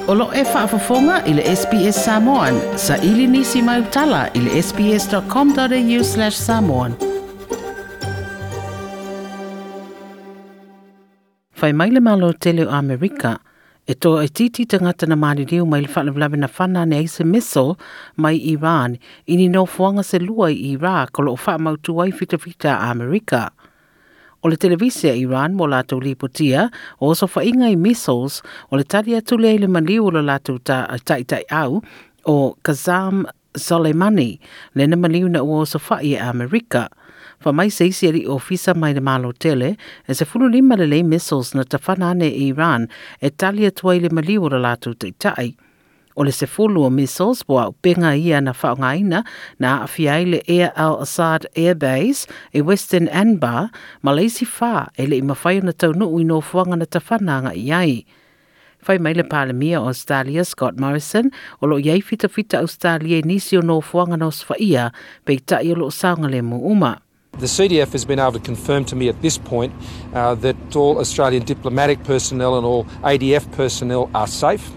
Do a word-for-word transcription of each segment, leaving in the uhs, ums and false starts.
O lo e faafofoga i le S B S Samoan, sa ili nisi mai utala i le S B S dot com dot A U slash samoan. Fai mai le Malo tele o Amerika, e toaitiiti tagata na maliliu mai le faalavelave na fana ane ai se missile mai Iran i ni nofoaga se lua i Iraq o loo faamautu ai fitafita a Amerika. O le televise a Iran mo latou lipotia o osofaiga i missiles o le tali atu lea i le maliu o lo latou taitaiau o Qasem Soleimani, lena maliu na ua osofai e Amerika. Fa mai se isi ali ofisa mai le Malo tele, e se fulu lima lelei missiles na tafana ane e Iran e tali atu ai le maliu o lo latou taitai. O le sefulu o missiles po o aupenga ia na faaaogaina na aafia ai le Air Al-Assad Air Base e Western Anbar, ma le isi fa e le i mafai ona taunuu i nofoaga na tafana agai ai. Fai mai le Palemia o Australia Scott Morrison o lo o i ai fitafita Australia i nisi o nofoaga na osofaia, peitai o lo o saogalemu uma. The C D F has been able to confirm to me at this point uh, that all Australian diplomatic personnel and all A D F personnel are safe.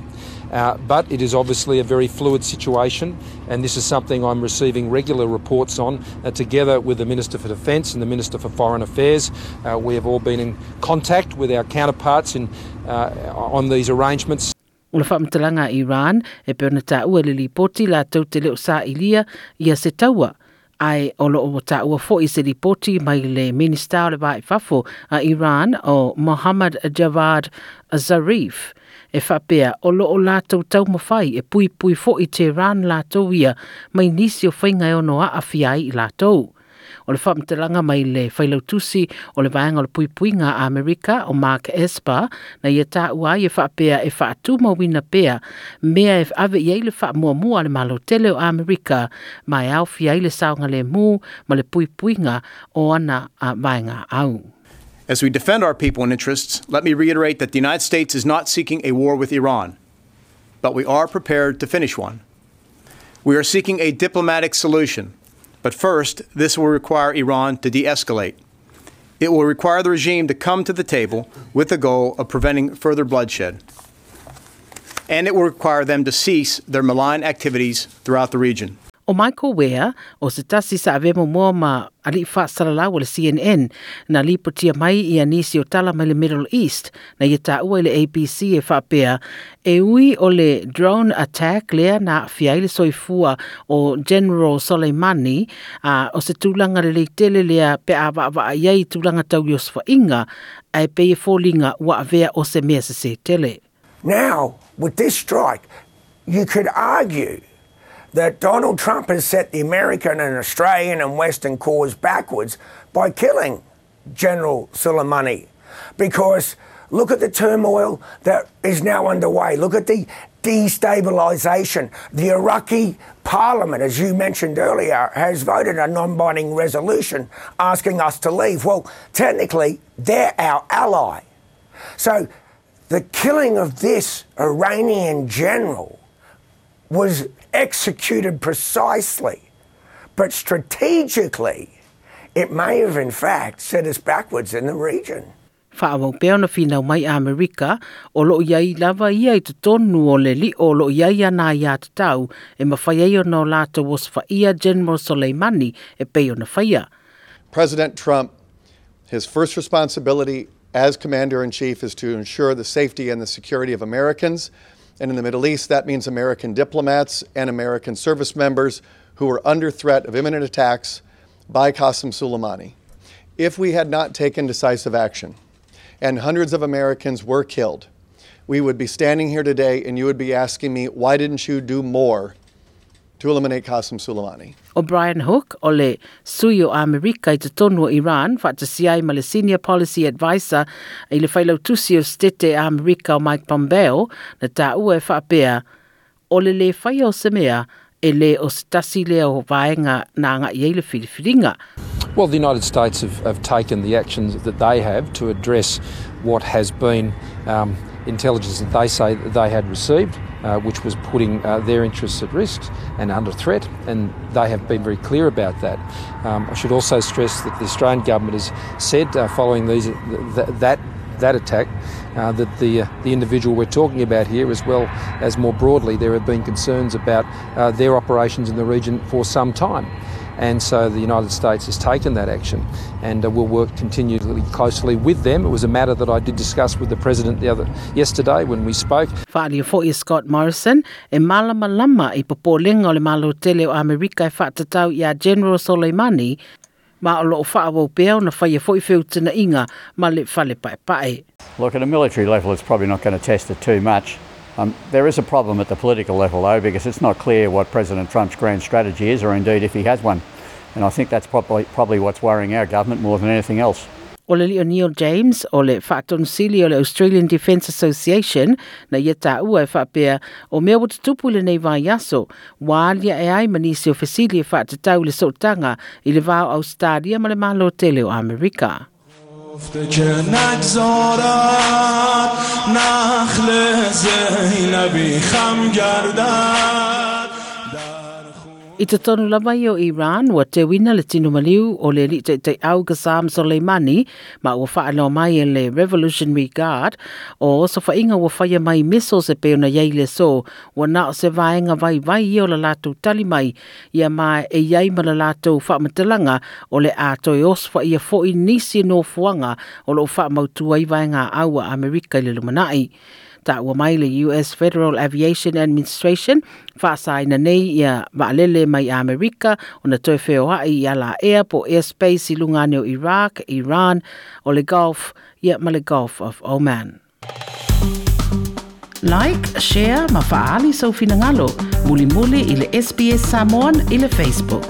Uh, but it is obviously a very fluid situation, and this is something I'm receiving regular reports on, uh, together with the Minister for Defence and the Minister for Foreign Affairs. Uh, we have all been in contact with our counterparts in, uh, on these arrangements. O le faamatalaga a Iran e pei ona taua le lipoti latou te le o sailia ia se taua, ae o lo o taua foi se lipoti mai le Minista o le Va i Fafo a Iran o Mohammad Javad Zarif e faapea o lo o latou taumafai e puipui foi Tehran latou ia mai nisi o faiga e ono aafia ai i latou. O le faamatalaga mai le failautusi o le vaega o le puipuiga a Amerika o Mark Esper na ia taua ai e faapea e faatumauina pea mea e ave i ai le faamuamua a le Malo tele o Amerika ma e aofia ai le saogalemu ma le puipuiga o ana vaega au. As we defend our people and interests, let me reiterate that the United States is not seeking a war with Iran, but we are prepared to finish one. We are seeking a diplomatic solution, but first, this will require Iran to de escalate. It will require the regime to come to the table with the goal of preventing further bloodshed. And it will require them to cease their malign activities throughout the region. O Michael Ware, o se tasi sa ave momoa ma ali faasalalau o le C N N, na lipotia mai ia nisi o tala mai le Middle East, na ia taua i le A B C e faapea, e ui o le drone attack lea na aafia ai le soifua o General Soleimani, a o se tulaga lelei tele lea pe a vaavaa i ai tulaga tau i osofaiga, ae pei e foliga ua avea o se mea sese tele. Now, with this strike, you could argue that Donald Trump has set the American and Australian and Western cause backwards by killing General Soleimani. Because look at the turmoil that is now underway. Look at the destabilization. The Iraqi parliament, as you mentioned earlier, has voted a non binding resolution asking us to leave. Well, technically, they're our ally. So the killing of this Iranian general was executed precisely, but strategically, it may have in fact set us backwards in the region. Faaauau pea ona finau mai Amerika o loo i ai lava ia i totonu o le lio o loo i ai ana aiatatau e mafai ai ona o latou osofaia General Soleimani e pei ona faia. President Trump, his first responsibility as Commander in Chief is to ensure the safety and the security of Americans. And in the Middle East, that means American diplomats and American service members who are under threat of imminent attacks by Qasem Soleimani. If we had not taken decisive action and hundreds of Americans were killed, we would be standing here today and you would be asking me, "Why didn't you do more to eliminate Qasem Soleimani?" O Brian Hook o le sui o Amerika i totonu o Iran, faatasi ai ma le Senior Policy Advisor i le failautusi o Setete Amerika o Mike Pompeo, na taua e faapea, o le le faia o se mea, e le o se tasi lea o vaega na agai ai le filifiliga. Well, the United States have, have taken the actions that they have to address what has been um, intelligence that they say that they had received, uh, which was putting uh, their interests at risk and under threat, and they have been very clear about that. Um, I should also stress that the Australian government has said, uh, following these th- that that attack, uh, that the, uh, the individual we're talking about here, as well as more broadly, there have been concerns about uh, their operations in the region for some time. And so the United States has taken that action and uh, will work continually closely with them. It was a matter that I did discuss with the President the other yesterday when we spoke. Whaali fo i Scott Morrison e malama lama i popolenga o le malo tele o Amerika e whaatatau i a General Soleimani ma o loo whaawau pea o na whaia fo i whiutina inga ma le whale pae pae. Look, at a military level, it's probably not going to test it too much. Um, there is a problem at the political level, though, because it's not clear what President Trump's grand strategy is, or indeed if he has one. And I think that's probably, probably what's worrying our government more than anything else. O le lio Neil James o le whaatonusili o le Australian Defence Association na ia tāua e whaapea o mea o tutupu le nei vai aso wālia e ai manisi o fesili e whaatatau le sootanga i le vāo Australia ma le malo tele o Amerika. که نگذارد نخل زینبی خم گردد I te tonu lava i o Iran, ua te wina le tino maliu o le li te te au Qasem Soleimani, ma ua whaanoa mai e le Revolutionary Guard, o so whainga ua whaia mai missiles e peo na iei le so, ua nao se vaenga vai vai i o la lātou tali mai, ia ma e iei ma la lātou whaamatalanga o le ātoi oswa ia fo i nisi no fuanga o lo whaamautua i vaenga aua Amerika i le lumanai. Ta ua mai le U S Federal Aviation Administration whaasaina nei ia waalele mai Amerika o na toi wheo ai ia la air po airspace i lungane o Iraq, Iran, o le Gulf, ia ma le Gulf of Oman. Like, share, ma faali sau finangalo, muli muli i le S B S Samoan i le Facebook.